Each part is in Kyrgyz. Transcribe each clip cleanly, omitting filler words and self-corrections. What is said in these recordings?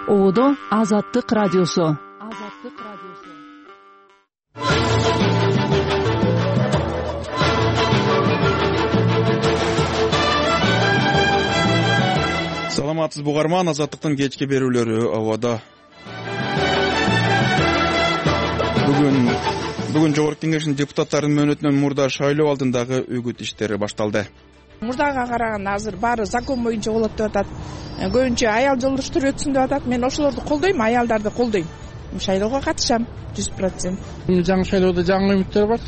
Ободо Азаттык радиосу. Саламатсызбы угарман, Азаттыктын кечки берүүлөрү ободо. Бүгүн Жогорку Кеңештин депутаттарынын мөөнөтүнөн мурда шайлоо алдындагы үгүт иштери башталды. Мурдага караганда азыр баары закон боюнча болот деп атат. Көбүнчө аял жолдоштор өтсүн деп атат. Мен ошолорду колдойм, аялдарды колдойм. Шайлоого катышам 100%. Жаңы шайлоодо жаңы үмүттөр бар.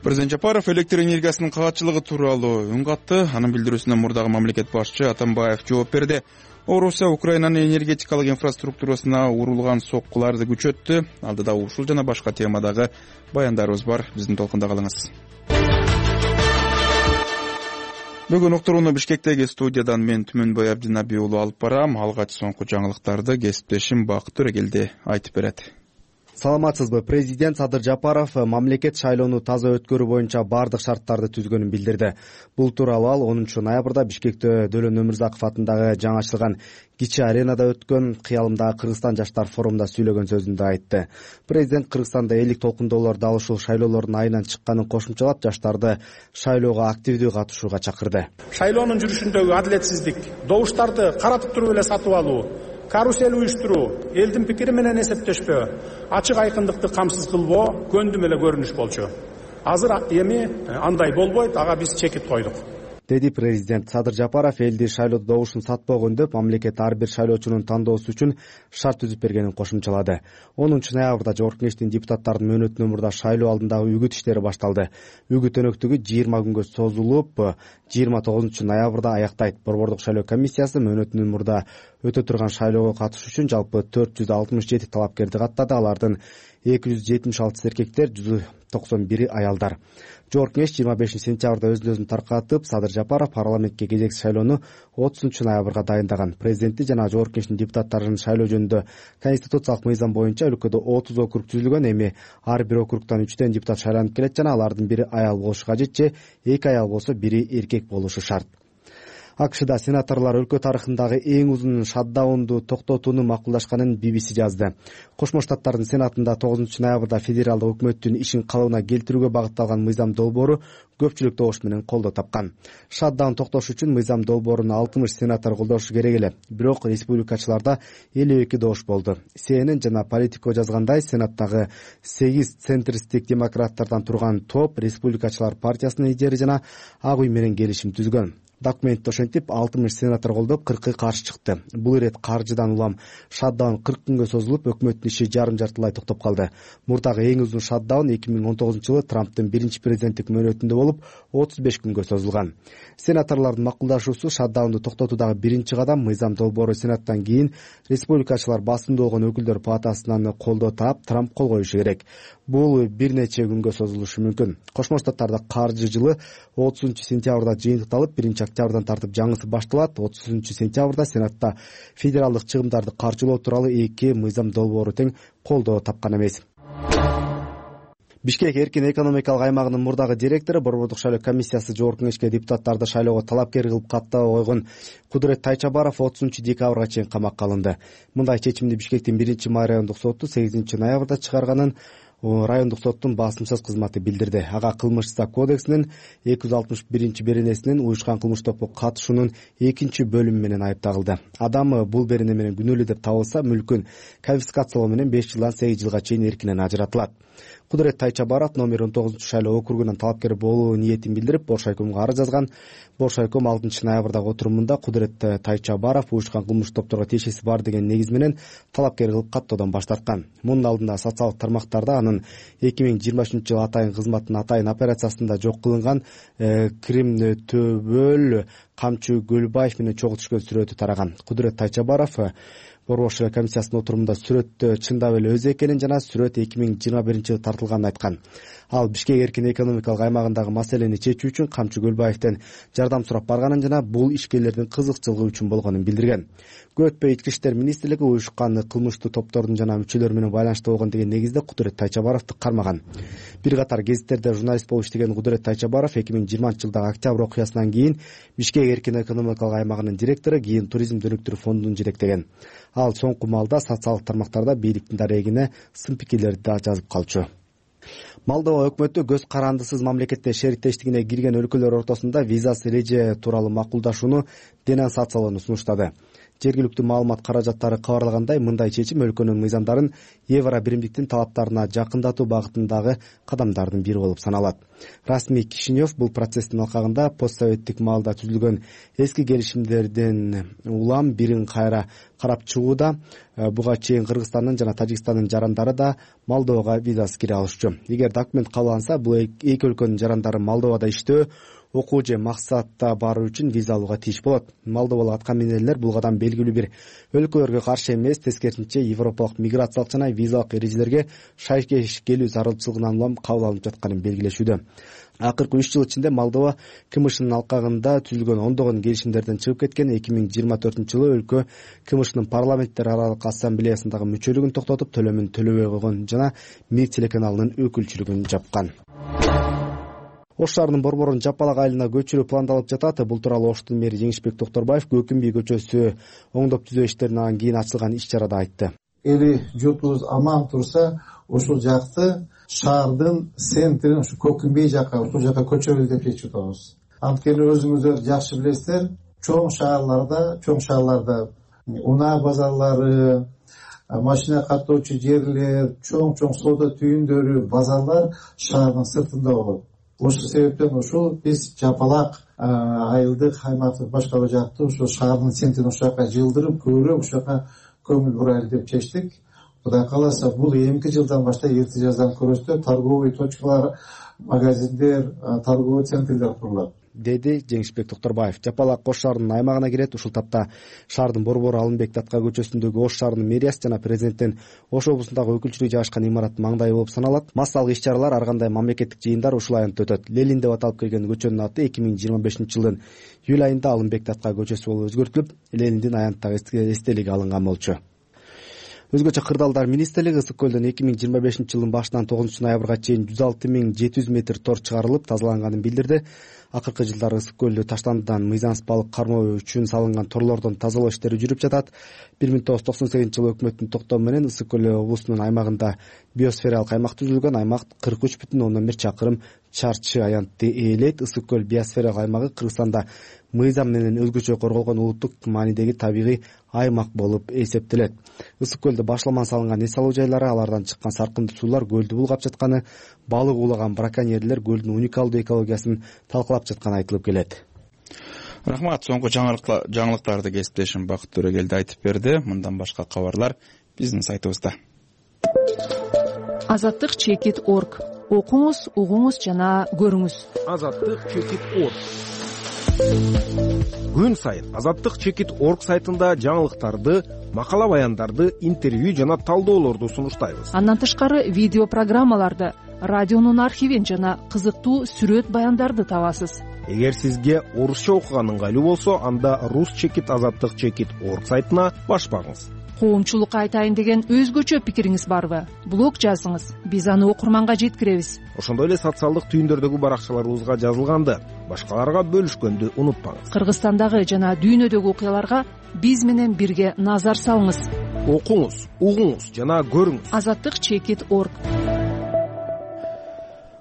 Президент Жапаров электр энергиясынын кагатчылыгы тууралуу үн катты. Анын билдирүүсүнө мурдагы мамлекет башчы Атамбаев жооп берди. Орусия Украинанын энергетикалык инфраструктурасына урулган соккуларды күчөттү. Алдыда ушул жана башка темадагы баяндарыбыз бар. Биздин толкунда калыңыз. Бүгүн уктурууну Бишкектеги студиядан мен Түмөнбай Абдинаби уулу алып барам. Алгач соңку жаңылыктарды кесиптешим Бакыт Төрөгелди айтып берет. Саламатсызбы. Президент Садыр Жапаров мамлекет шайлоону таза өткөрүү боюнча бардык шарттарды түзгөнүн билдирди. Бул тууралуу ал 10 ноябрда Бишкекте Дөлөн Өмүрзаков атындагы жаңы ачылган кичи аренада өткөн Кыялымдагы Кыргызстан жаштар форумунда сүйлөгөн сөзүндө айтты. Президент Кыргызстанда элик толкундоолор дал ушул шайлоолордун айынан чыкканын кошумчалап, жаштарды шайлоого активдүү катышууга чакырды. Шайлоонун жүрүшүндөгү адилетсиздик, добуштарды каратып туруп эле сатып алуу, карусель уюштуруу, элдин пикири менен эсептешпөө, ачык айкындыкты камсыз кылбоо көндүм эле көрүнүш болчу. Азыр эми андай болбойт, ага биз чекит койдук, деди президент. Садыр Жапаров элди шайлоодо добушун сатпоо өндөп, мамлекет ар бир шайлоочунун тандоосу үчүн шарт түзүп бергенин кошумчалады. 10 ноябрда Жогорку Кеңештин депутаттарынын мөөнөтүнөн мурда шайлоо алдындагы үгүт иштери башталды. Үгүт өнөктүгү 20 күнгө созулуп, 29 ноябрда аяктайт. Борбордук шайлоо комиссиясы мөөнөтүнөн мурда өтө турган шайлоого катышуу үчүн жалпы 467 талапкерди каттады. Алардын 276 эркектер, 191 аялдар. Жогорку Кеңеш 25 сентябрда өз-өзүн таркатып, Садыр Жапаров парламентке кезекси шайлоону 30 ноябрга дайындаган. Президенти жана Жогорку Кеңештин депутаттарынын шайлоо жөнүндө конституциялык мыйзам боюнча өлкөдө 30 округ түзүлгөн. Эми ар бир округтан 3 депутат шайланып келет жана алардын бири аял болушу кажет же 2 аял болсо бири эркек болушу шарт. АКШда сенаторлор өлкө тарыхындагы эң узун шатдаунду токтотууну макулдашканын BBC жазды. Кошмо Штаттардын Сенатында 9 ноябрда федералдык өкмөттүн ишин калыбына келтирүүгө багытталган мыйзам долбоору көпчүлүк добуш менен колдоо тапкан. Шатдаун токтош үчүн мыйзам долбооруну 60 сенатор колдошу керек эле. Бирок республикачыларда 52 добуш болду. CNN жана Политико жазгандай, Сенаттагы 8 центристтик демократтардан турган топ республикачылар партиясынын лидери жана Ак үй менен келишим түзгөн. Документти ошентип 60 сенатор колдоп, 40 каршы чыкты. Бул ирет каржыдан улам шатдаун 40 күнгө созулуп, өкмөттүн иши жарым-жартылай токтоп калды. Мурдагы эң узун шатдаун 2019-жылы Трамптын биринчи президенттик мөөнөтүндө болуп, 35 күнгө созулган. Сенаторлордун макулдашуусу шатдаунду токтотуудагы биринчи кадам. Мыйзам долбоору Сенаттан кийин республикачылар басымдуу болгон өкүлдөр палатасынан колдоо таап, Трамп кол коюшу керек. Бул бир нече күнгө созулушу мүмкүн. Кошмо Штаттарда каржы жылы 30 сентябрда жыйынтыкталып, 1 октябрдан тартып жаңысы башталат. 30 сентябрда Сенатта федералдык чыгымдарды каржылоо тууралуу 2 мыйзам долбоору тең колдоо тапкан эмес. Бишкек эркин экономикалык аймагынын мурдагы директору Борбордук шайлоо комиссиясы Жогорку Кеңешке депутаттарды шайлоого талапкер кылып каттап койгон Кудурет Тайчабаров 30 декабрга чейин камакка алынды. Мындай чечимди Бишкектин 1-май райондук соту 8 ноябрда чыгарганын райондук соттун басымсыз кызматы билдирди. Ага кылмыш исак кодексинин 261 беренесинин уюшкан кылмыш топко катышуунун 2 бөлүмү менен айыпталды. Адам бул берене менен күнөөлүү деп табылса, мүлкүн конфискациялоо менен 5 жылдан 8 жылга чейин эркинен ажыратылат. Кудурет Тайчабаров номер 19 шайлоо округунан талапкер болуу ниетин билдирип, Бош айкомго арыз жазган. Бош айком 6 ноябрдагы отурумунда Кудурет Тайчабаров уюшкан кылмыш топторго тиешеси бар деген негиз менен талапкер кылып каттоодон баш тарткан. Мунун алдында социалдык тармактарда анын 2023-жылы атайын кызматтын атайын операциясында жок кылынган Крим Төбөл Камчы Гөлбаев менен чогуу түшкөн сүрөтү тараган. Кудурет Тайчабаров Борбор шайлоо комиссиясынын отурумунда сүрөттө чындап эле өзү экенин жана сүрөт 2021-жылы тартылганын айткан. Ал Бишкек эркин экономикалык аймагындагы маселени чечүү үчүн Камчы Гөлбаевден жардам сурап барганын жана бул ишкерлердин кызыкчылыгы үчүн болгонун билдирген. Көп өтпөй Ички иштер министрлиги уюшкан кылмыштуу топтордун жана мүчөлөрү менен байланышта болгон деген негизде Кудурет Тайчабаровду кармаган. Бир катар гезиттерде журналист болуп иштеген Кудурет Тайчабаров 2020-жылдагы октябрь окуясынан кийин Бишкек Андой эркин экономикалык аймагынын директору, кийин туризм өнүктүрүү фондун жетектеген. Ал соңку малда социалдык тармактарда бийликтин дарегине сын пикирлерди да жазып калчу. Молдова өкмөтү көз карандысыз мамлекетте шериктештигине кирген өлкөлөр ортосунда визасыз эреже тууралуу макулдашууну денонсациялоону сунуштады. Жергиликтүү маалымат каражаттары кабарлагандай, мындай чечим өлкөнүн мыйзамдарын евро биримдиктин талаптарына жакындатуу багытындагы кадамдардын бири болуп саналат. Расмий Кишинев бул процесстин алкагында постсоветтик маалда түзүлгөн эски келишимдердин улам бирин кайра карап чыгууда. Буга чейин Кыргызстандын жана Тажикстандын жарандары да Молдовага визасыз кире алышчу. Эгер документ кабыл алынса, бул эки өлкөнүн жарандары Молдовада иштөө, окуу же максатта баруу үчүн виза алууга тийиш болот. Молдовалык аткаминерлер бул кадам белгилүү бир өлкөлөргө каршы эмес, тескерисинче европалык миграциялык жана визалык эрежелерге шайкеш келүү зарылчылыгынан улам кабыл алынып жатканын белгилешүүдө. Акыркы 3 жыл ичинде Молдова КМШнын алкагында түзүлгөн ондогон келишимдерден чыгып кеткен. 2024-жылы өлкө КМШнын парламенттер аралык ассамблеясындагы мүчөлүгүн токтотуп, төлөмүн төлөбөй койгон жана Мир телеканалынын өкүлчүлүгүн жапкан. Ош шаарынын Борборун Жапалак айылына көчүрүү пландалып жатат. Бул тууралуу Оштун мэри Жеңишбек Токторбаев Көкүмбий көчөсү оңдоп түзөө иштеринен кийин ачылган иш-чарада айтты. Эли журтубуз аман турса, ушул жакты шаардын центрин ушу Көкүмбий жака, ушул жака көчөрөлү деп чечип атабыз. Анткени өзүңүздөр жакшы билесиздер, чоң шаарларда унаа базарлары, машина каттоочу жерлер, чоң соода түйүндөрү, базарлар шаардын сыртында болот. Ошол себептен ушул биз Жапалак айылдык аймактык башкаруу жакты ушул шаардын центрин ушул жака жылдырып, көбүрөөк ушул жака көңүл бурайлы деп чечтик. Кудай кааласа, бул эмки жылдан баштап эрте жаздан көрөсүтө торговый точкалар, магазиндер, торговый центрлер курулат, деди Жеңишбек Токторбаев. Жапалак Ош шаарынын аймагына кирет. Ушул тапта шаардын борбору Алымбек Датка көчөсүндөгү Ош шаарынын мэриясы жана президенттин Ош облусундагы өкүлчүлүгү жайгашкан имараттын маңдайы болуп саналат. Массалык иш-чаралар, ар кандай мамлекеттик жыйындар ушул аянтта өтөт. Ленин деп аталып келген көчөнүн аты 2025-жылдын июль айында Алымбек Датка көчөсү болуп өзгөртүлүп, Лениндин аянттагы эстелиги алынган болчу. Өзгөчө кырдаалдар министрлиги Ысык көлдөн 2025-жылдын башынан 9-ноябрга чейин 106.700 метр тор чыгарылып тазаланганын билдирди. Акыркы жылдары Ысык көлдү таштандыдан мыйзамсыз балык кармоо үчүн салынган торлордон тазалоо иштери жүрүп жатат. 1998-жылы өкмөттүн токтому менен Ысык көл облусунун аймагында биосфералык аймак түзүлгөн. Аймак 43,1 чакырым чарчы аянтты ээлейт. Ысык көл биосфералык аймагы Кыргызстанда мыйзам менен өзгөчө корголгон улуттук маанидеги табигый аймак болуп эсептелет. Ысык көлдө башламан салынган эс алуу жайлары, алардан чыккан саркынды суулар көлдү булгап жатканы, балык уулаган браконьерлер көлдүн уникалдуу экологиясын талкалап жатканы айтылып келет. Рахмат. Соңку жаңылыктарды кесиптешим Бакыт Төрөгелди айтып берди. Мындан башка кабарлар биздин сайтыбызда. Азаттык.org. Окуңуз, угуңуз жана көрүңүз. Азаттык.org. Күн сайын Азаттык.org сайтында жаңылыктарды, макала баяндарды, интервью жана талдоолорду сунуштайбыз. Андан тышкары видео программаларды, радионун архивин жана кызыктуу сүрөт баяндарды табасыз. Эгер сизге орусча окуган ыңгайлуу болсо, анда Азаттык.org сайтына баш багыңыз. Коомчулукка айтайын деген өзгөчө пикириңиз барбы? Блог жазыңыз, биз аны окурманга жеткиребиз. Ошондой эле социалдык түйүндөрдөгү баракчаларыбызга жазылганды башкаларга бөлүшкөндү унутпаңыз. Кыргызстандагы жана дүйнөдөгү окуяларга биз менен бирге назар салыңыз. Окуңуз, угуңуз жана көрүңүз. Азаттык.org.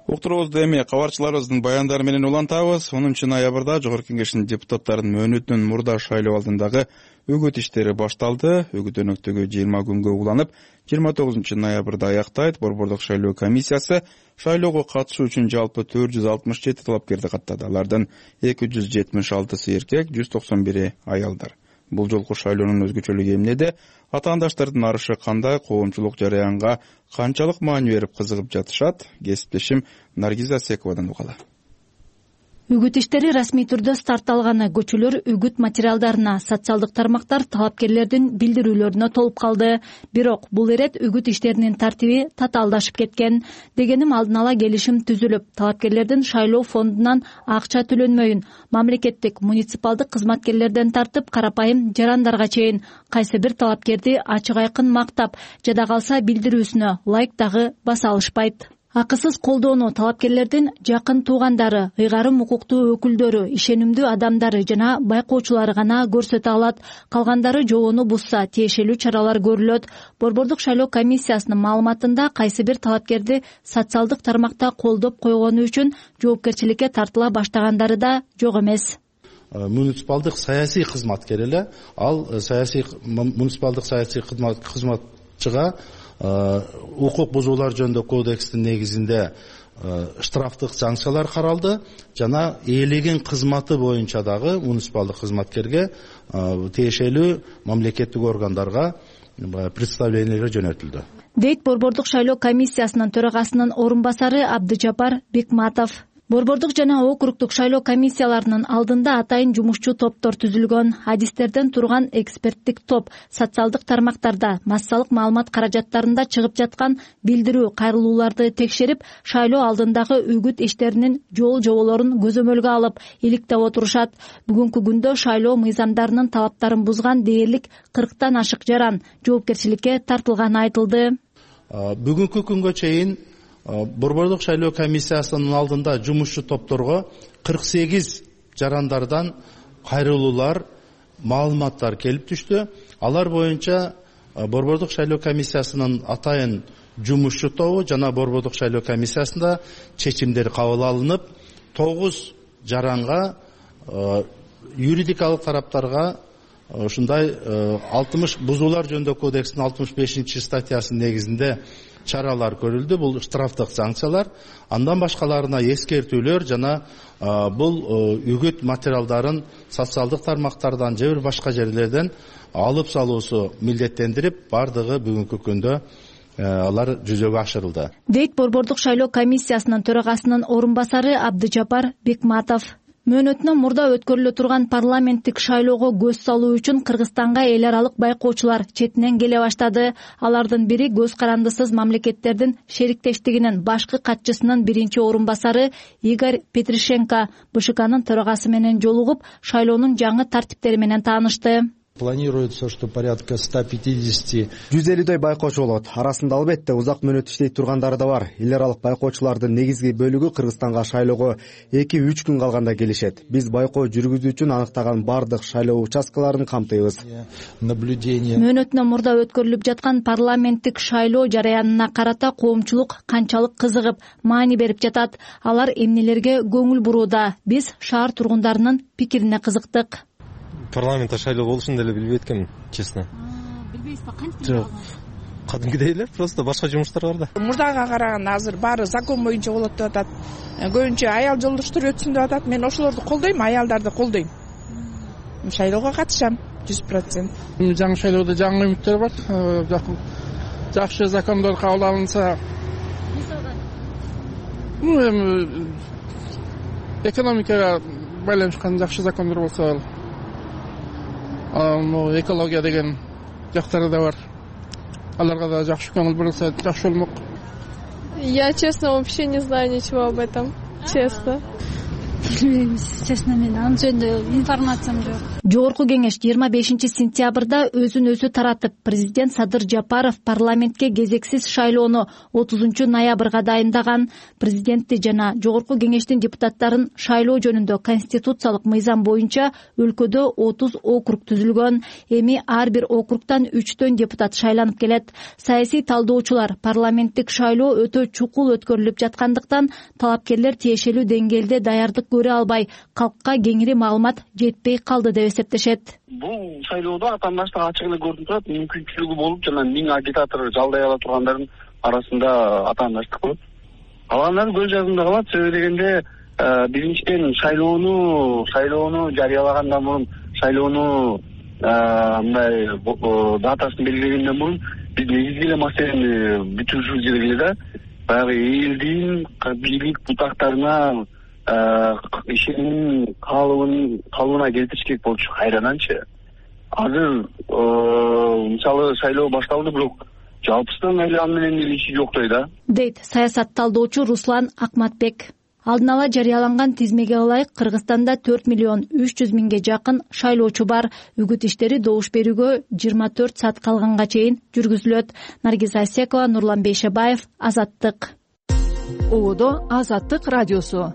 Уктуруубузду эми кабарчыларыбыздын баяндары менен улантабыз. 10-ноябрда Жогорку Кеңештин депутаттарынын мөөнөтүнөн мурда шайлоо алдындагы үгүт иштери башталды. Үгүт өнөктөгү 20 күнгө уланып, 29-ноябрда аяктайт. Борбордук шайлоо комиссиясы шайлоого катышуу үчүн жалпы 467 талапкерди каттады. Алардын 276 эркек, 191 аялдар. Бул жолку шайлоонун өзгөчөлүгү эмнеде? Атаандаштардын арышы кандай, коомчулук жараянга канчалык маани берип кызыгып жатышат? Кесиптешим Наргиза Сековадан угалы. Үгүт иштери расмий түрдө стартталганы, көчөлөр үгүт материалдарына, социалдык тармактар талапкерлердин билдирүүлөрүнө толуп калды. Бирок бул ирет үгүт иштеринин тартиби татаалдашып кеткен. Дегеним, алдын ала келишим түзүлүп, талапкерлердин шайлоо фондунан акча төлөнмөйүн, мамлекеттик, муниципалдык кызматкерлерден тартып карапайым жарандарга чейин кайсы бир талапкерди ачык айкын мактап, жада калса билдирүүсүнө лайк дагы баса алышпайт. Акысыз колдоону талапкерлердин жакын туугандары, ыйгарым укуктуу өкүлдөрү, ишенимдүү адамдары жана байкоочулары гана көрсөтө алат. Калгандары жобону бузса тиешелүү чаралар көрүлөт. Борбордук шайлоо комиссиясынын маалыматында кайсы бир талапкерди социалдык тармакта колдоп койгону үчүн жоопкерчиликке тартыла баштагандары да жок эмес. Муниципалдык саясий кызматкер эле ал муниципалдык саясий кызматчыга укук бузуулар жөнүндө кодекстин негизинде штрафтык санкциялар каралды жана ээлеген кызматы боюнча дагы муниципалдык кызматкерге тиешелүү мамлекеттик органдарга представлениелер жөнөтүлдү, дейт борбордук шайлоо комиссиясынын төрагасынын орун басары Абдыжапар Бекматов. Борбордук жана округдук шайлоо комиссияларынын алдында атайын жумушчу топтор түзүлгөн. Адистерден турган эксперттик топ социалдык тармактарда массалык маалымат каражаттарында чыгып жаткан билдирүү кайрылууларды текшерип, шайлоо алдындагы үгүт иштеринин жоболорун көзөмөлгө алып, иликтеп отурушат. Бүгүнкү күндө шайлоо мыйзамдарынын талаптарын бузган дээрлик 40тан ашык жаран жоопкерчиликке тартылганы айтылды. Бүгүнкү күнгө чейин борбордук шайлоо комиссиясынын алдында жумушчу топторго 48 жарандардан кайрылуулар, маалыматтар келип түштү. Алар боюнча борбордук шайлоо комиссиясынын атайын жумушчу тобу жана борбордук шайлоо комиссиясында чечимдер кабыл алынып, 9 жаранга юридикалык тараптарга ушундай 60 бузуулар жөнүндө кодекстин 65 статьясынын негизинде чаралар көрүлдү. Бул штрафтык санкциялар, андан башкаларына эскертүүлөр жана бул үгүт материалдарын социалдык тармактардан же бир башка жерлерден алып салуусу милдеттендирип, бардыгы бүгүнкү күндө алар жүзөгө ашырылды, дейт борбордук шайлоо комиссиясынын төрагасынын орун басары Абдыжапар Бекматов. Мөөнөтүнөн мурда өткөрүлө турган парламенттик шайлоого көз салуу үчүн Кыргызстанга эл аралык байкоочулар четинен келе баштады. Алардын бири көз карандысыз мамлекеттердин шериктештигинин башкы катчысынын биринчи орун басары Игорь Петришенко БШКнын төрагасы менен жолугуп, шайлоонун жаңы тартиптери менен таанышты. Планируется, что порядка 150 150дөй байкоочу болот. Арасында албетте узак мөөнөт иштей тургандары да бар. Эл аралык байкоочулардын негизги бөлүгү Кыргызстанга шайлоого 2-3 күн калганда келишет. Биз байкоо жүргүзүү үчүн аныктаган бардык шайлоо участкаларын камтыйбыз. Мөөнөтүнөн мурда өткөрүлүп жаткан парламенттик шайлоо жараянына карата коомчулук канчалык кызыгып, маани берип жатат. Алар эмнелерге көңүл бурууда? Биз шаар тургундарынын пикирине кызыктык. Парламентте шайлоо болушун деле билбейт экенмин, честно. Билбейсизби, кантип? Жок. Кадимкидей эле, просто башка жумуштар бар да. Мурдага караганда азыр баары закон боюнча болот деп атат. Көбүнчө аял жолдоштор өтсүн деп атат. Мен ошолорду колдойм, аялдарды колдойм. Шайлоого катышам 100%. Жаңы шайлоодо жаңы үмүттөр бар. Жакшы закондор кабыл алынса, эми экономикага байланышкан жакшы закондор болсо, экология деген жактары да бар. Аларга да жакшы көңүл бурулса жакшы болмок. Я, честно, вообще не знаю ничего об этом. Честно. Честно, мен анын жөнүндө информациям жок. Жогорку кеңеш 25 сентябрда өзүн өзү таратып, президент Садыр Жапаров парламентке кезексиз шайлоону 30 ноябрга дайындаган. Президентти жана жогорку кеңештин депутаттарын шайлоо жөнүндө конституциялык мыйзам боюнча өлкөдө 30 округ түзүлгөн. Эми ар бир округтан 3төн депутат шайланып келет. Саясий талдоочулар парламенттик шайлоо өтө чукул өткөрүлүп жаткандыктан талапкерлер тиешелүү деңгээлде даярдык көрө албай, калкка кеңири маалымат жетпей калды деп эсептешет. Бул шайлоодо атаандаштык ачык эле көрүнүп турат, мүмкүнчүлүгү болуп, жана 1000 агитатор жалдай ала тургандардын арасында атаандаштык болот. Калгандары көз жазымда калат, себеби дегенде биринчиден шайлоону жарыялагандан мурун, шайлоону мындай датасын белгилегенден мурун биз негизги эле маселени бүтүрүшүбүз керек эле да. Баягы элдин бийлик бутактарына ишеним калыбына келтириш керек болчу кайраданчы. Азыр мисалы шайлоо башталды, бирок жалпысынан эле аны менен иши жоктой да, дейт саясат талдоочу Руслан Акматбек. Алдын ала жарыяланган тизмеге ылайык Кыргызстанда 4.300.000 жакын шайлоочу бар. Үгүт иштери добуш берүүгө 24 саат калганга чейин жүргүзүлөт. Наргиз Асекова, Нурлан Бейшебаев, Азаттык. ободо Азаттык радиосу.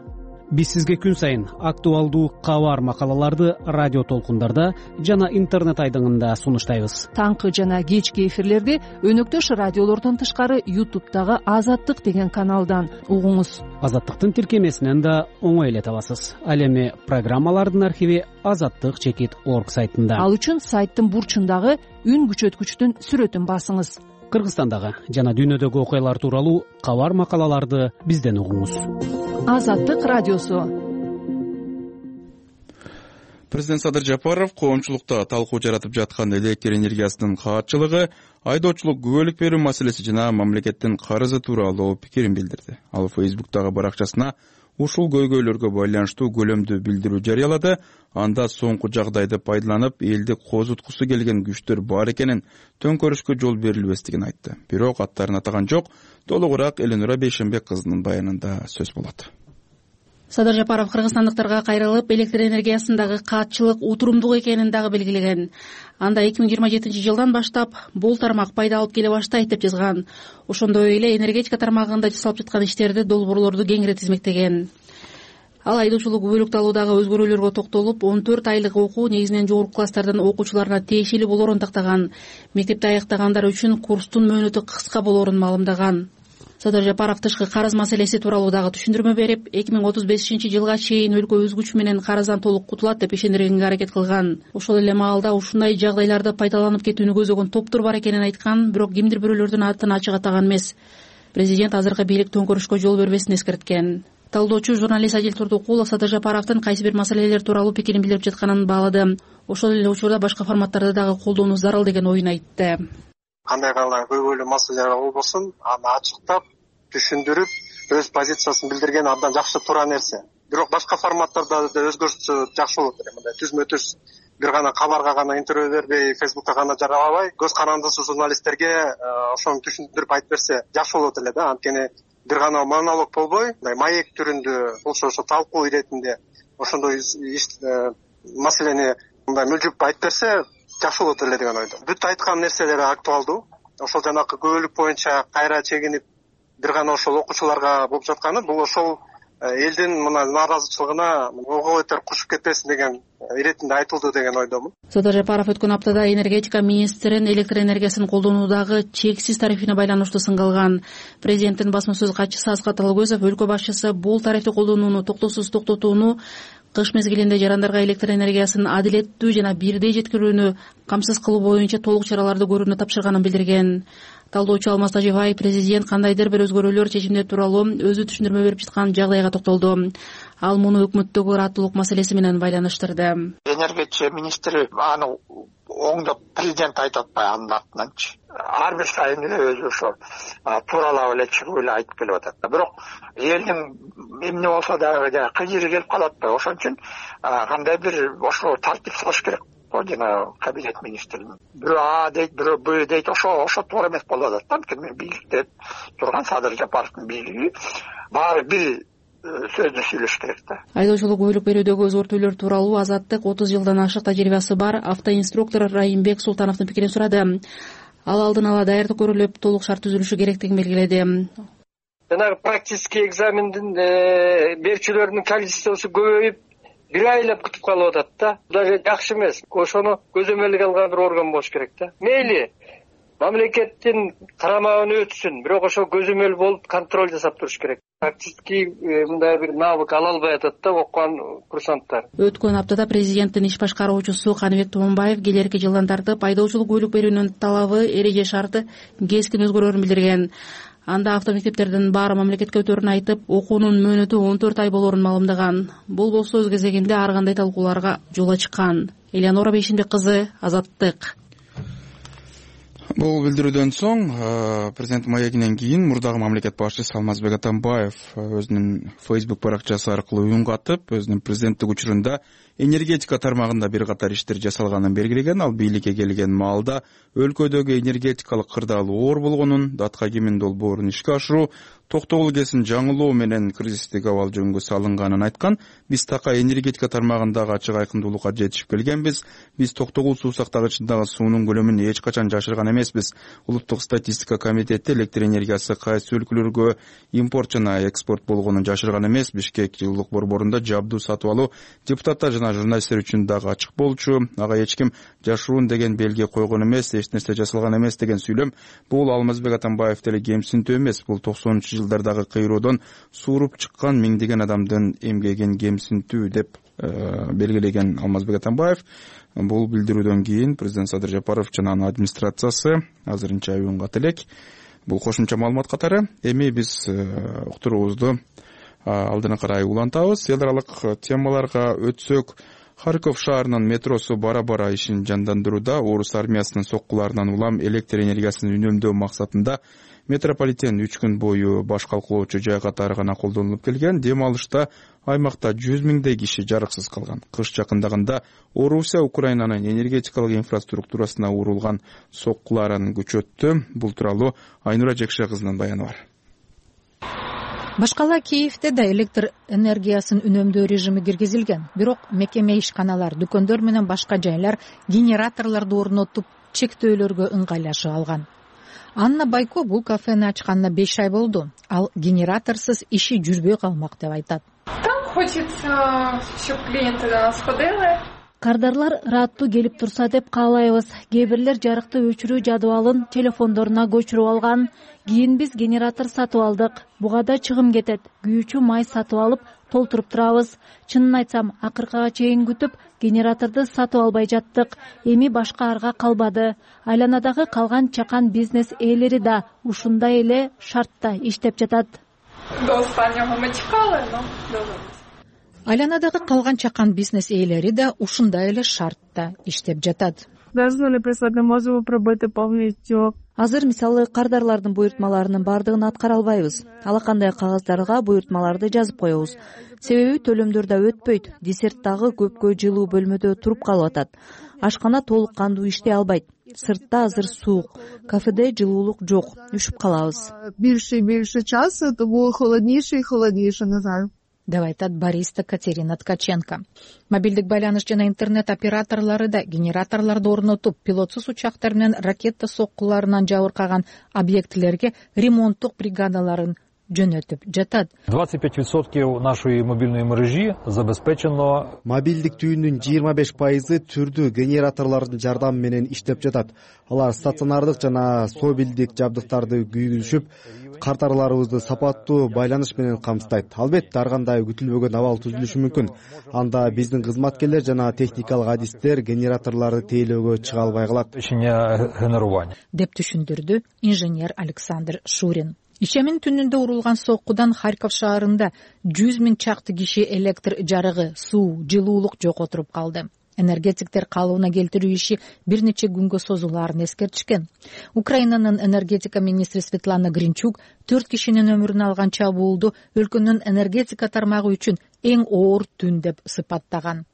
Биз сизге күн сайын актуалдуу кабар макалаларды радио толкундарда жана интернет айдыңында сунуштайбыз. Таңкы жана кечки эфирлерди өнөктөш радиолордон тышкары YouTube'дагы Азаттык деген каналдан угуңуз. Азаттыктын тиркемесинен да оңой эле табасыз. Ал эми программалардын архиви azattik.org сайтында. Ал үчүн сайттын бурчундагы үн күчөткүчтүн сүрөтүн басыңыз. Кыргызстандагы жана дүйнөдөгү окуялар тууралуу кабар макалаларды бизден угуңуз. Азаттык радиосу. Президент Садыр Жапаров коомчулукта талкуу жаратып жаткан электр энергиясынын каатчылыгы, айдоочулук күбөлүк берүү маселеси жана мамлекеттин карызы тууралуу пикирин билдирди. Ал Facebook'тагы баракчасына ушул көйгөйлөргө байланыштуу көлөмдүү билдирүү жарыялады. Анда соңку жагдайды пайдаланып, элди козуткусу келген күчтөр бар экенин, төңкөрүшкө жол берилбестигин айтты. Бирок аттарын атаган жок. Толугураак Эленура Бейшенбек кызынын баянында сөз болот. Садыр Жапаров кыргызстандыктарга кайрылып, электр энергиясындагы каатчылык утурумдуу экенин дагы белгилеген. Анда 2027-жылдан баштап бул тармак пайда алып келе баштайт деп жазган. Ошондой эле энергетика тармагында жасалып жаткан иштерди, долбоорлорду кеңири тизмектеген. Ал айдоочулук күбөлүктү алуудагы өзгөрүүлөргө токтолуп, 14 айлык окуу негизинен жогорку класстардын окуучуларына тиешелүү болоорун тактаган. Мектепти аяктагандар үчүн курстун мөөнөтү кыска болоорун маалымдаган. Садыр Жапаров тышкы карыз маселеси тууралуу дагы түшүндүрмө берип, 2035-жылга чейин өлкө өз күчү менен карыздан толук кутулат деп ишендиргенге аракет кылган. Ошол эле маалда ушундай жагдайларды пайдаланып кетүүнү көзөгөн топтор бар экенин айткан, бирок кимдир бирөөлөрдүн атын ачык атаган эмес. Президент азыркы бийлик төңкөрүшкө жол бербесин эскерткен. Талдоочу журналист Адил Турдукулов Садыр Жапаровдун кайсы бир маселелер тууралуу пикирин билдирип жатканын баалады. Ошол эле учурда башка форматтарды дагы колдонуу зарыл деген оюн айтты. Кандай гана көйгөйлүү маселелер болбосун, аны ачыктап, түшүндүрүп, өз позициясын билдирген абдан жакшы туура нерсе. Бирок башка форматтарда да өзгөртсө жакшы болот эле. Мындай түзмө-түз бир гана кабарга гана интервью бербей, Facebook'ка гана жаралабай, көз карандысыз журналисттерге ошону түшүндүрүп айтып берсе жакшы болот эле да. Анткени бир гана монолог болбой, мындай маек түрүндө, ошо талкуу иретинде ошондой маселени мындай мүлжүп айтып берсе жакшы болот эле деген ойдомун. Бүт айткан нерселери актуалдуу. Ошол жанакы көбөлүк боюнча кайра чегинип бир гана ошол окуучуларга болуп жатканы, бул ошол элдин мына нааразычылыгына ого бетер кушуп кетпесин деген иретинде айтылды деген ойдомун. Садыр Жапаров өткөн аптада энергетика министрин электр энергиясын колдонуудагы чексиз тарифине байланыштуу сынга алган. Президенттин басма сөз катчысы Аскат Алгөзов өлкө башчысы бул тарифти колдонууну токтоосуз токтотууну, кыш мезгилинде жарандарга электр энергиясын адилеттүү жана бирдей жеткирүүнү камсыз кылуу боюнча толук чараларды көрүүнү тапшырганын билдирген. Талдоочу Алмаз Тажибаев президент кандайдыр бир өзгөрүүлөр чечимдер тууралуу өзү түшүндүрмө берип жаткан жагдайга токтолду. Ал муну өкмөттөгү ыраттуулук маселеси менен байланыштырды. Энергетика министри аны оңдоп президент айтып атпай анын артынанчы. Ар бир сайын эле өзү ошо тууралап эле чыгып эле айтып келип атат. Бирок элдин эмне болсо дагы кыйыры келип калат да. Ошон үчүн кандай бир ошо тартип салыш керек. Жана кабинет министри бирөө А дейт, бирөө Б дейт, ошо туура эмес болуп атат. Анткени бийликте турган Садыр Жапаровдун бийлиги баары бир сөздү сүйлөш керек да. Айдоочулук күбөлүк берүүдөгү өзгөртүүлөр тууралуу Азаттык 30 жылдан ашык тажрыйбасы бар автоинструктор Райымбек Султановдун пикирин сурады. Ал алдын ала даярдык көрүлүп, толук шарт түзүлүшү керектигин белгиледи. Жанагы практический экзамендин берүүчүлөрдүн количествосу көбөйүп, бир айлап күтүп калып атат да. Бул жакшы эмес. Ошону көзөмөлгө алган бир орган болуш керек да. Мейли мамлекеттин карамагына өтсүн, бирок ошо көзөмөл болуп контроль жасап туруш керек. Практически мындай бир навык ала албай атат да окуган курсанттар. Өткөн аптада президенттин иш башкаруучусу Каныбек Туманбаев келерки жылдан тартып айдоочулук күбөлүк берүүнүн талабы, эреже шарты кескин өзгөрөөрүн билдирген. Анда автомектептердин баары мамлекетке өтөрүн айтып, окуунун мөөнөтү 14 ай болоорун маалымдаган. Бул болсо өз кезегинде ар кандай талкууларга жол ачкан. Эленура Бейшенбек кызы, Азаттык. Бул билдирүүдөн соң президент маегинен кийин мурдагы мамлекет башчысы Алмазбек Атамбаев өзүнүн Facebook баракчасы аркылуу үн катып, өзүнүн президенттик учурунда энергетика тармагында бир катар иштер жасалганын белгилеген. Ал бийликке келген маалда өлкөдөгү энергетикалык кырдаал оор болгонун, датка кимин долбоорун ишке ашыруу, токтогул КЭСин жаңылоо менен кризистик абал жөнгө салынганын айткан. Биз така энергетика тармагындагы ачык айкындуулукка жетишип келгенбиз. Биз токтогул суу сактагычындагы суунун көлөмүн эч качан жашырган эмеспиз. Улуттук статистика комитети электр энергиясы кайсы өлкөлөргө импорт жана экспорт болгонун жашырган эмес. Бишкек жылуулук борборунда жабдуу сатып алуу депутаттар жана журналисттер үчүн дагы ачык болчу. Ага эч ким жашыруун деген белги койгон эмес, эч нерсе жасалган эмес деген сүйлөм. Бул Алмазбек Атамбаев деле кемсинтүү эмес. Бул 90-жылдардагы кыйроодон сууруп чыккан миңдеген адамдын эмгегин кемсинтүү деп белгилеген Алмазбек Атамбаев. Бул билдирүүдөн кийин президент Садыр Жапаров жана анын администрациясы азырынча уюнгат элек. Бул кошумча маалымат катары. Эми биз уктуруубузду алдына карай улантабыз. Эл аралык темаларга өтсөк, Харьков шаарынын метросу бара-бара ишин жандандырууда. Орус армиясынын соккуларынан улам электр энергиясын үнөмдөө максатында метрополитен 3 күн бою баш калкылоочу жай катары гана колдонулуп келген. Дем алышта аймакта 100 миңдей киши жарыксыз калган. Кыш жакындаганда Орусия Украинанын энергетикалык инфраструктурасына урулган соккуларын күчөттү. Бул тууралуу Айнура Жекше кызынын баяны бар. Башкала Киевде да электр энергиясын үнөмдөө режими киргизилген. Бирок мекеме ишканалар, дүкөндөр менен башка жайлар генераторлорду орнотуп, чектөөлөргө ыңгайлашып алган. Анна Байко бул кафени ачканына 5 ай болду. Ал генераторсуз иши жүрбөй калмак деп айтат. Там хочется, чтобы клиенты до нас ходили. Кардарлар ырааттуу келип турса деп каалайбыз. Кээ бирлер жарыкты өчүрүү жадыбалын телефондоруна көчүрүп алган. Кийин биз генератор сатып алдык. Буга да чыгым кетет. Күйүүчү май сатып алып, толтуруп турабыз. Чынын айтсам, акыркыга чейин күтүп, генераторду сатып албай жаттык. Эми башка арга калбады. Айланадагы калган чакан бизнес ээлери да ушундай эле шартта иштеп жатат. До останнего мы чекали, но Айланадагы калган чакан бизнес ээлери да ушундай эле шартта иштеп жатат. Даже не можем пробыть полностью. Азыр мисалы кардарлардын буйртмаларынын бардыгын аткара албайбыз. Ала кандай кагаздарга буйртмаларды жазып коебуз. Себеби төлөмдөр да өтпөйт. Десерт дагы көпкө жылуу бөлмөдө туруп калып атат. Ашкана толук кандуу иштей албайт. Сыртта азыр суук, кафеде жылуулук жок, үшүп калабыз. Больше часа, то было холоднейше и холоднейше, Назар. Деп айтат бариста Катерина Ткаченко. Мобилдик байланыш жана интернет операторлору да генераторлорду орнотуп, пилотсуз учактар менен ракета соккуларынан жабыркаган объектилерге ремонттук бригадаларын жөнөтүп жатат. 25% нашей мобильной мережи забезпечено. Мобилдик түйүнүн 25% түрдүү генераторлордун жардамы менен иштеп жатат. Алар стационардык жана собилдик жабдыктарды күйгүзүшүп, кардарларыбызды сапаттуу байланыш менен камсыздайт. Албетте ар кандай күтүлбөгөн абал түзүлүшү мүмкүн. Анда биздин кызматкерлер жана техникалык адистер генераторлорду тейлөөгө чыга албай калат. Деп түшүндүрдү инженер Александр Шурин. Ишемин түнүндө урулган соккудан Харьков шаарында 100 миң чакты киши электр жарыгы, суу, жылуулук жокотуруп калды. Энергетиктер калыбына келтирүү иши бир нече күнгө созулаарын эскертишкен. Украинанын энергетика министри Светлана Гринчук 4 кишинин өмүрүн алган чабуулду өлкөнүн энергетика тармагы үчүн эң оор түн деп сыпаттаган.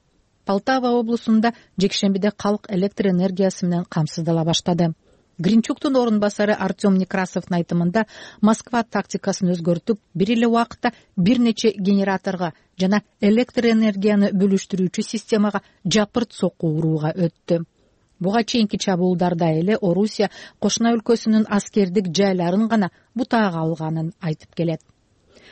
Полтава облусунда жекшембиде калк электр энергиясы менен камсыздала баштады. Гринчуктун орун басары Артем Некрасовдун айтымында Москва тактикасын өзгөртүп, бир эле убакытта бир нече генераторго жана электр энергияны бөлүштүрүүчү системага жапырт сокку урууга өттү. Буга чейинки чабуулдарда эле Орусия кошуна өлкөсүнүн аскердик жайларын гана бутаага алганын айтып келет.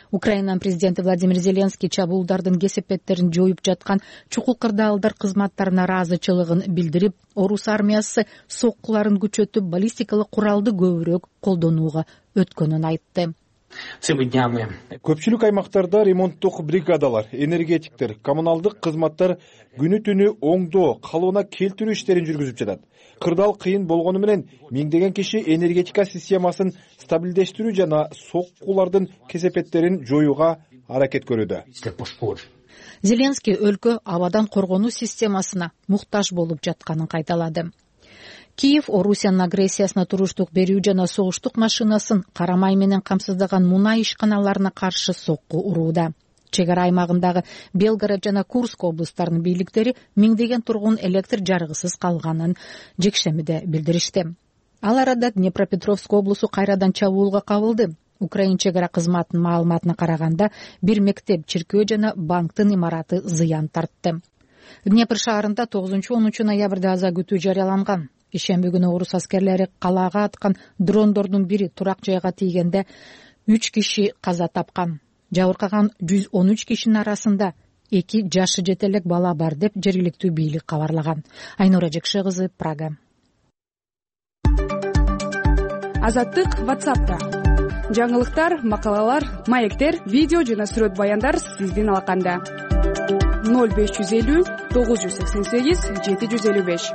Украинанын президенти Владимир Зеленский чабуулдардын кесепеттерин жоюп жаткан чукул кырдаалдар кызматтарына ыраазычылыгын билдирип, Орус армиясы соккуларын күчөтүп, баллистикалык куралды көбүрөөк колдонууга өткөнүн айтты. Көпчүлүк аймактарда ремонттук бригадалар, энергетиктер, коммуналдык кызматтар күнү түнү оңдоо, калыбына келтирүү иштерин жүргүзүп жатат. Кырдаал кыйын болгону менен миңдеген киши энергетика системасын стабилдештирүү жана соккулардын кесепеттерин жоюуга аракет көрүүдө. Зеленский өлкө абадан коргонуу системасына муктаж болуп жатканын кайталады. Киев Орусиянын агрессиясына туруштук берүү жана согуштук машинасын карамай менен камсыздаган мунай ишканаларына каршы сокку урууда. Чек ара аймагындагы Белгород жана Курск облустарынын бийликтери миңдеген тургун электр жарыгысыз калганын жекшемиде билдиришти. Ал арада Днепропетровск облусу кайрадан чабуулга кабылды. Украин чек ара кызматынын маалыматына караганда бир мектеп, чиркөө жана банктын имараты зыян тартты. Днепр шаарында 9-10 ноябрда аза күтүү жарыяланган. Ишемби күнү орус аскерлери калаага аткан дрондордун бири турак жайга тийгенде 3 киши каза тапкан. Жабыркаган 113 кишинин арасында 2 жашы жете элек бала бар деп жергиликтүү бийлик кабарлаган. Айнура Жекше кызы, Прага. Азаттык WhatsApp'та. Жаңылыктар, макалалар, маектер, видео жана сүрөт баяндар сиздин алаканда. 0550 988 755.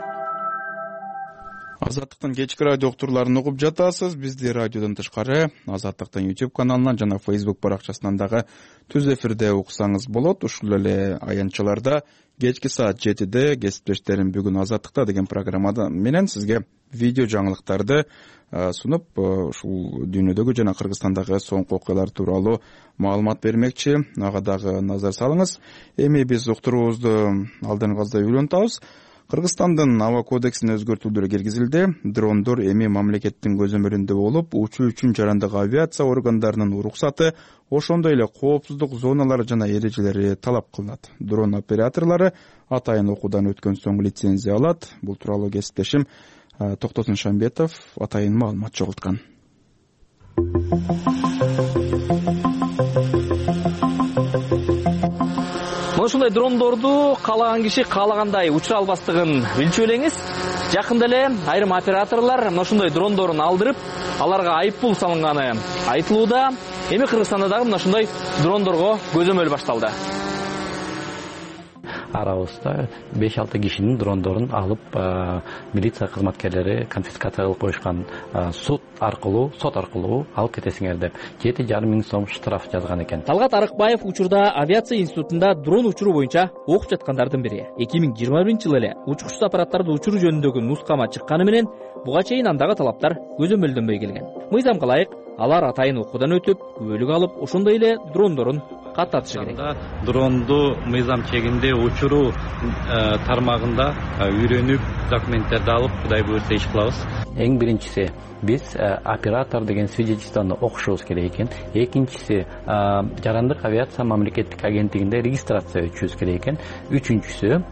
Азаттыктын кечки радио уктурларын угуп жатасыз. Бизди радиодон тышкары Азаттыктын YouTube каналынан жана Facebook баракчасынан дагы түз эфирде уксаңыз болот. Ушул эле аянтчаларда кечки саат 7-де кесиптештерим бүгүн Азаттыкта деген программада менен сизге видео жаңылыктарды сунуп, ушул дүйнөдөгү жана Кыргызстандагы соңку окуялар тууралуу маалымат бермекчи. Ага дагы назар салыңыз. Эми биз уктуруубузду алдыңгызда үйлөнтабыз. Кыргызстандын аба кодексине өзгөртүүлөр киргизилди. Дрондор эми мамлекеттин көзөмөлүндө болуп, учуу үчүн жарандык авиация органдарынын уруксаты, ошондой эле коопсуздук зоналары жана эрежелери талап кылынат. Дрон операторлору атайын окуудан өткөн соң лицензия алат. Бул тууралуу кесиптешим Токтосун Шамбетов атайын маалымат чогулткан. Ошондой дрондорду каалаган киши каалагандай учура албастыгын билчү элеңиз. Жакында эле айрым операторлор ошондой дрондорун алдырып, аларга айыппул салынганы айтылууда. Эми Кыргызстанда дагы ошондой дрондорго көзөмөл башталды. Арабызда 5-6 кишинин дрондорун алып, милиция кызматкерлери конфискация кылып коюшкан. Сот аркылуу алып кетесиңер деп 7,5 миң сом штраф жазган экен. Талгат Арыкбаев учурда авиация институтунда дрон учуруу боюнча окуп жаткандардын бири. 2021-жылы эле учкучсуз аппараттарды учуруу жөнүндөгү нускама чыкканы менен буга чейин андагы талаптар көзөмөлдөнбөй келген. Мыйзамга ылайык алар атайын окуудан өтүп, күбөлүк алып, ошондой эле дрондорун каттатышы керек. Дронду мыйзам чегинде учуруу тармагында үйрөнүп, документтерди алып, Кудай буйрса иш кылабыз. Эң биринчиси биз оператор деген свидетельствону окушубуз керек экен. Экинчиси жарандык авиация мамлекеттик агенттигинде регистрация өтүшүбүз керек экен. Үчүнчүсү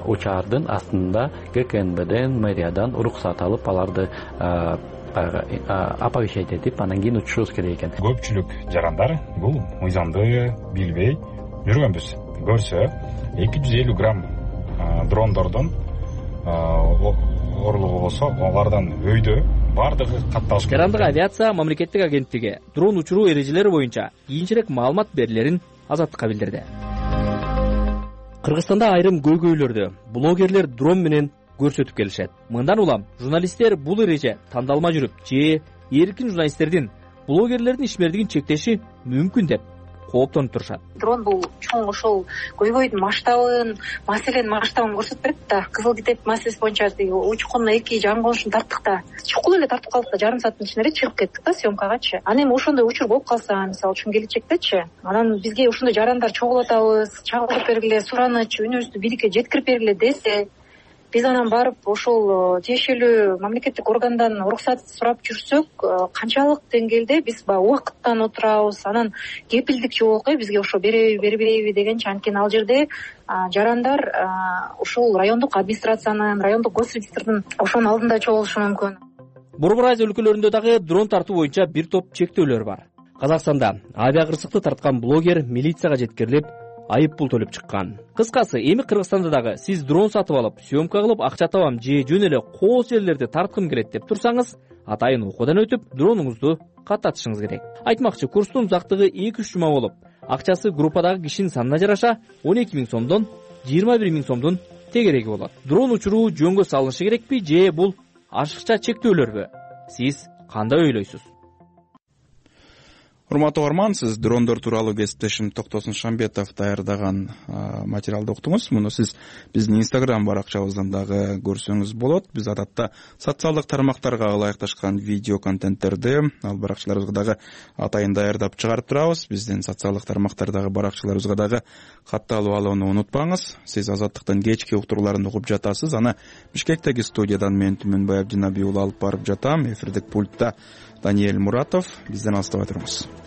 учаардын астында ГКНБден, мэриядан уруксат алып, аларды оповещать этип, анан кийин учушубуз керек экен. Көпчүлүк жарандар бул мыйзамды билбей жүргөнбүз. Көрсө 250 грамм дрондордун орлугу болсо, алардан өйдө бардыгы катталыш керек. Жарандык авиация мамлекеттик агенттиги дрон учуруу эрежелери боюнча кийинчерээк маалымат берилерин Азаттыкка билдирди. Кыргызстанда айрым көйгөйлөрдү блогерлер дрон менен көрсөтүп келишет. Мындан улам журналисттер бул эреже тандалма жүрүп, же эркин журналисттердин блогерлердин ишмердигин чектеши мүмкүн деп кооптонуп турушат. Дрон бул чоң ошол көйгөйдүн масштабын, маселенин масштабын көрсөтүп берет да. Кызыл китеп маселеси боюнча учкунуна 2 жаңылышын тарттык да. Чукул эле тартып калдык да, жарым сааттын ичинде чыгып кеттик да съемкагачы. Анан эми ошондой учур болуп калса, мисалы үчүн келечектечи, анан бизге ошондой жарандар чогултабыз, чагылдырып бергиле, суранычы, үнүбүздү бийликке жеткирип бергиле десе, биз анан барып ошол тиешелүү мамлекеттик органдан уруксат сурап жүрсөк, канчалык деңгээлде биз баягы убакыттан отурабыз, анан кепилдик жок, бизге ошо бербейби дегенчи. Анткени ал жерде жарандар ошол райондук администрациянын, райондук госрегистрдин ошонун алдында чогулушу мүмкүн. Борбор Азия өлкөлөрүндө дагы дрон тартуу боюнча бир топ чектөөлөр бар. Казакстанда авиакырсыкты тарткан блогер милицияга жеткирилип, айыппул төлөп чыккан. Кыскасы, эми Кыргызстанда дагы сиз дрон сатып алып, съемка кылып, акча табам же жөн эле кооз жерлерди тарткым келет деп турсаңыз, атайын окуудан өтүп, дронуңузду каттатышыңыз керек. Айтмакчы, курстун узактыгы 2-3 жума болуп, акчасы группадагы кишинин санына жараша 12 миң сомдон 21 миң сомдун тегереги болот. Дрон учуруу жөнгө салынышы керекпи же бул ашыкча чектөөлөрбү? Сиз кандай ойлойсуз? урматтуу угарман, сиз дрондор тууралуу кесиптешим Токтосун Шамбетов даярдаган материалды уктуңуз. Муну сиз биздин Instagram баракчабыздан дагы көрсөңүз болот. Биз адатта социалдык тармактарга ылайыкташкан видео контенттерди ал баракчаларыбызга дагы атайын даярдап чыгарып турабыз. Биздин социалдык тармактардагы баракчаларыбызга дагы катталып алууну унутпаңыз. Сиз Азаттыктын кечки уктурууларын угуп жатасыз. Аны Бишкектеги студиядан мен Түмөнбай Абдинабий уулу алып барып жатам. Эфирдик пультта Даниэль Муратов. Бизден алыстабай туруңуз.